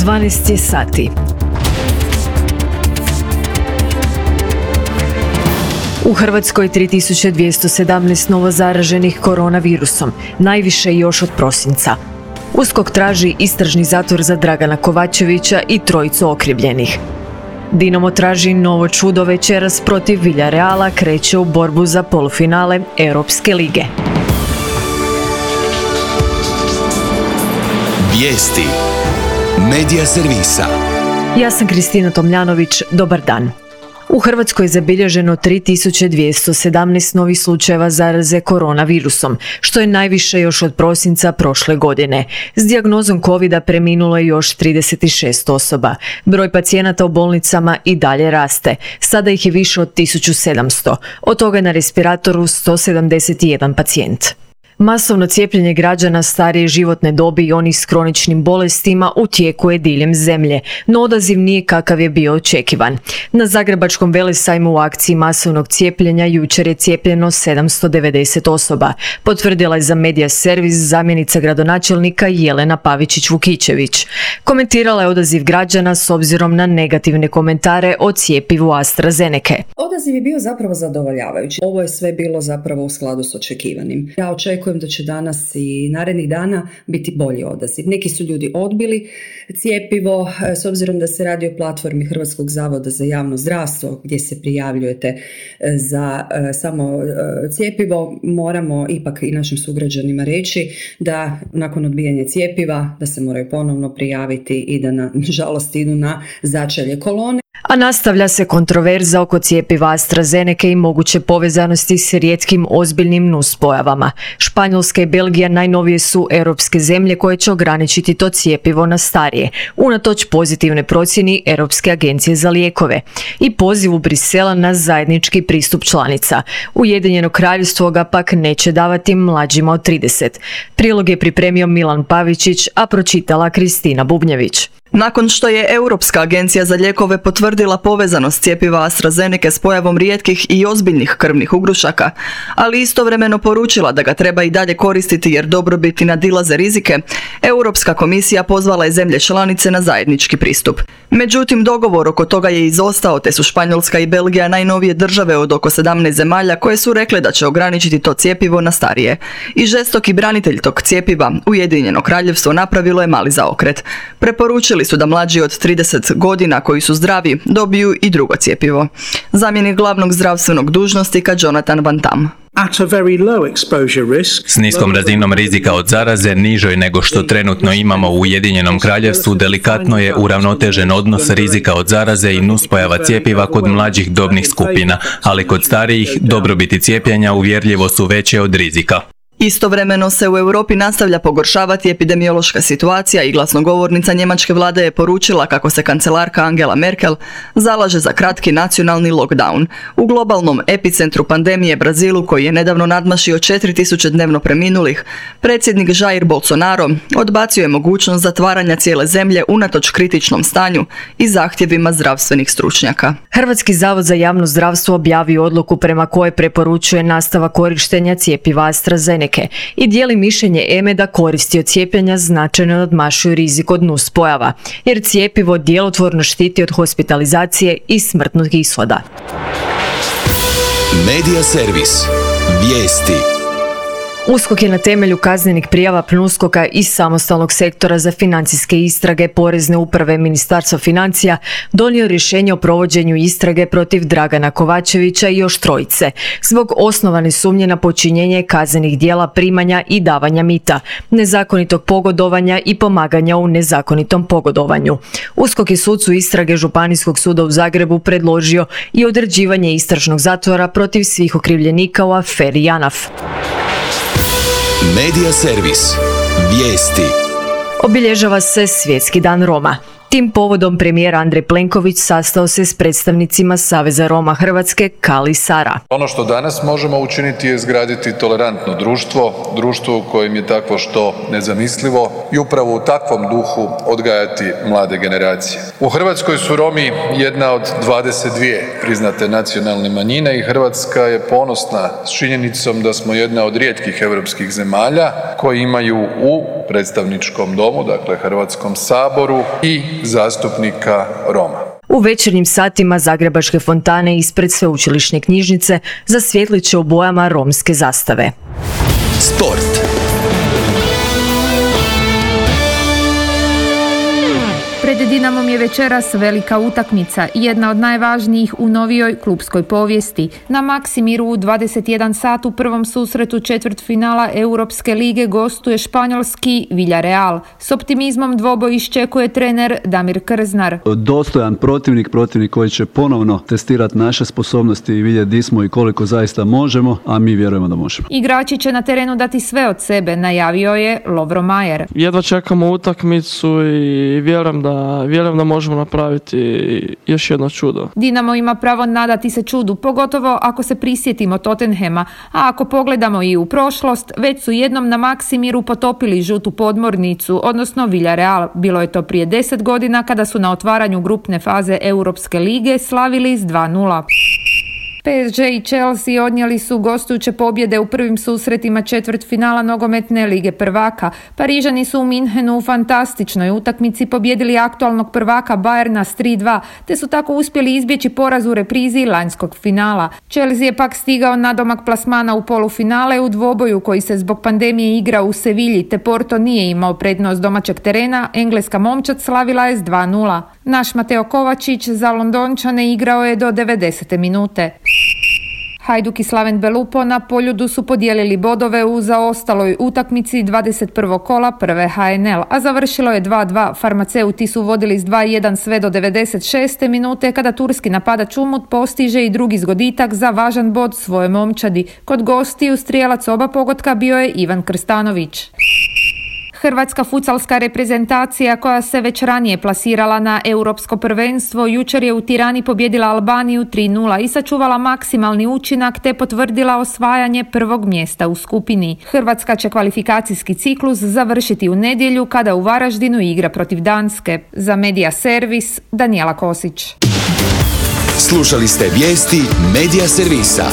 12 je sati. U Hrvatskoj 3217 novozaraženih koronavirusom, najviše još od prosinca. USKOK traži istražni zatvor za Dragana Kovačevića i trojicu okrivljenih. Dinamo traži novo čudo, večeras protiv Villarreala kreće u borbu za polufinale Europske lige. Vijesti Medija servisa. Ja sam Kristina Tomljanović, dobar dan. U Hrvatskoj je zabilježeno 3217 novih slučajeva zaraze koronavirusom, što je najviše još od prosinca prošle godine. S dijagnozom covida preminulo je još 36 osoba. Broj pacijenata u bolnicama i dalje raste. Sada ih je više od 1700. Od toga je na respiratoru 171 pacijent. Masovno cijepljenje građana starije životne dobi i onih s kroničnim bolestima u tijeku je diljem zemlje, no odaziv nije kakav je bio očekivan. Na Zagrebačkom velesajmu u akciji masovnog cijepljenja jučer je cijepljeno 790 osoba, potvrdila je za Medija servis zamjenica gradonačelnika Jelena Pavičić-Vukičević. Komentirala je odaziv građana s obzirom na negativne komentare o cjepivu AstraZenece. Odaziv je bio zapravo zadovoljavajući. Ovo je sve bilo zapravo u skladu s očekivanim. Ja očekujem da će danas i narednih dana biti bolji odaziv. Neki su ljudi odbili cjepivo, s obzirom da se radi o platformi Hrvatskog zavoda za javno zdravstvo gdje se prijavljujete za samo cjepivo. Moramo ipak i našim sugrađanima reći da nakon odbijanja cjepiva da se moraju ponovno prijaviti i da nažalost idu na začelje kolone. A nastavlja se kontroverza oko cjepiva AstraZenece i moguće povezanosti s rijetkim ozbiljnim nuspojavama. Španjolska i Belgija najnovije su europske zemlje koje će ograničiti to cjepivo na starije, unatoč pozitivne procjeni Europske agencije za lijekove i pozivu Brisela na zajednički pristup članica. Ujedinjeno kraljevstvo ga pak neće davati mlađima od 30. Prilog je pripremio Milan Pavičić, a pročitala Kristina Bubnjević. Nakon što je Europska agencija za lijekove potvrdila povezanost cjepiva AstraZenece s pojavom rijetkih i ozbiljnih krvnih ugrušaka, ali istovremeno poručila da ga treba i dalje koristiti jer dobrobiti nadilaze rizike, Europska komisija pozvala je zemlje članice na zajednički pristup. Međutim, dogovor oko toga je izostao, te su Španjolska i Belgija najnovije države od oko 17 zemalja koje su rekle da će ograničiti to cjepivo na starije. I žestoki branitelj tog cjepiva, Ujedinjeno kraljevstvo, napravilo je mali zaokret. Preporučili su da mlađi od 30 godina koji su zdravi dobiju i drugo cjepivo. Zamjenik glavnog zdravstvenog dužnosnika Jonathan Van Tam. S niskom razinom rizika od zaraze, nižoj nego što trenutno imamo u Ujedinjenom kraljevstvu, delikatno je uravnotežen odnos rizika od zaraze i nuspojava cjepiva kod mlađih dobnih skupina, ali kod starijih dobrobiti cijepljenja uvjerljivo su veće od rizika. Istovremeno se u Europi nastavlja pogoršavati epidemiološka situacija i glasnogovornica njemačke vlade je poručila kako se kancelarka Angela Merkel zalaže za kratki nacionalni lockdown. U globalnom epicentru pandemije Brazilu, koji je nedavno nadmašio 4000 dnevno preminulih, predsjednik Jair Bolsonaro odbacio je mogućnost zatvaranja cijele zemlje unatoč kritičnom stanju i zahtjevima zdravstvenih stručnjaka. Hrvatski zavod za javno zdravstvo objavio odluku prema kojoj preporučuje nastavak korištenja cjepiva AstraZenece i dijeli mišljenje EME da koristi od cijepljenja značajno nadmašuju rizik od nuspojava, jer cjepivo djelotvorno štiti od hospitalizacije i smrtnog ishoda. Medija servis. Vijesti. USKOK je na temelju kaznenih prijava PNUSKOK-a iz Samostalnog sektora za financijske istrage Porezne uprave Ministarstva financija donio rješenje o provođenju istrage protiv Dragana Kovačevića i još trojice zbog osnovane sumnje na počinjenje kaznenih djela primanja i davanja mita, nezakonitog pogodovanja i pomaganja u nezakonitom pogodovanju. USKOK je sucu istrage Županijskog suda u Zagrebu predložio i određivanje istražnog zatvora protiv svih okrivljenika u aferi JANAF. Medija servis. Vijesti. Obilježava se Svjetski dan Roma. Tim povodom premijer Andrej Plenković sastao se s predstavnicima Saveza Roma Hrvatske Kali Sara. Ono što danas možemo učiniti je izgraditi tolerantno društvo u kojem je takvo što nezamislivo i upravo u takvom duhu odgajati mlade generacije. U Hrvatskoj su Romi jedna od 22 priznate nacionalne manjine i Hrvatska je ponosna s činjenicom da smo jedna od rijetkih europskih zemalja koji imaju u predstavničkom domu, dakle Hrvatskom saboru i zastupnika Roma. U večernjim satima zagrebačke fontane ispred sveučilišne knjižnice zasvjetlit će u bojama romske zastave. Sport. Pred Dinamom je večeras velika utakmica, jedna od najvažnijih u novijoj klupskoj povijesti. Na Maksimiru u 21 sat u prvom susretu četvrtfinala Europske lige gostuje španjolski Villarreal. S optimizmom dvoboj iščekuje trener Damir Krznar. Dostojan protivnik koji će ponovno testirati naše sposobnosti i vidjeti di smo i koliko zaista možemo, a mi vjerujemo da možemo. Igrači će na terenu dati sve od sebe, najavio je Lovro Majer. Jedva čekamo utakmicu i vjerujem da možemo napraviti još jedno čudo. Dinamo ima pravo nadati se čudu, pogotovo ako se prisjetimo Tottenhema, a ako pogledamo i u prošlost, već su jednom na Maksimiru potopili žutu podmornicu, odnosno Villarreal. Bilo je to prije 10 godina kada su na otvaranju grupne faze Europske lige slavili s 2:0. PSG i Chelsea odnijeli su gostujuće pobjede u prvim susretima četvrtfinala nogometne lige prvaka. Parižani su u Minhenu u fantastičnoj utakmici pobjedili aktualnog prvaka Bayerna s 3:2, te su tako uspjeli izbjeći poraz u reprizi lanjskog finala. Chelsea je pak stigao nadomak plasmana u polufinale u dvoboju koji se zbog pandemije igra u Sevilji, te Porto nije imao prednost domaćeg terena. Engleska momčad slavila je s 2:0. Naš Mateo Kovačić za Londončane igrao je do 90. minute. Hajduk i Slaven Belupo na Poljudu su podijelili bodove u zaostaloj utakmici 21. kola prve HNL, a završilo je 2:2. Farmaceuti su vodili s 2:1 sve do 96. minute kada turski napadač Umut postiže i drugi zgoditak za važan bod svoje momčadi. Kod gostiju strijelac oba pogotka bio je Ivan Krstanović. Hrvatska futsalska reprezentacija koja se već ranije plasirala na europsko prvenstvo jučer je u Tirani pobijedila Albaniju 3:0 i sačuvala maksimalni učinak te potvrdila osvajanje prvog mjesta u skupini. Hrvatska će kvalifikacijski ciklus završiti u nedjelju kada u Varaždinu igra protiv Danske. Za Medija Servis, Danijela Kosić. Slušali ste vijesti Medija Servisa.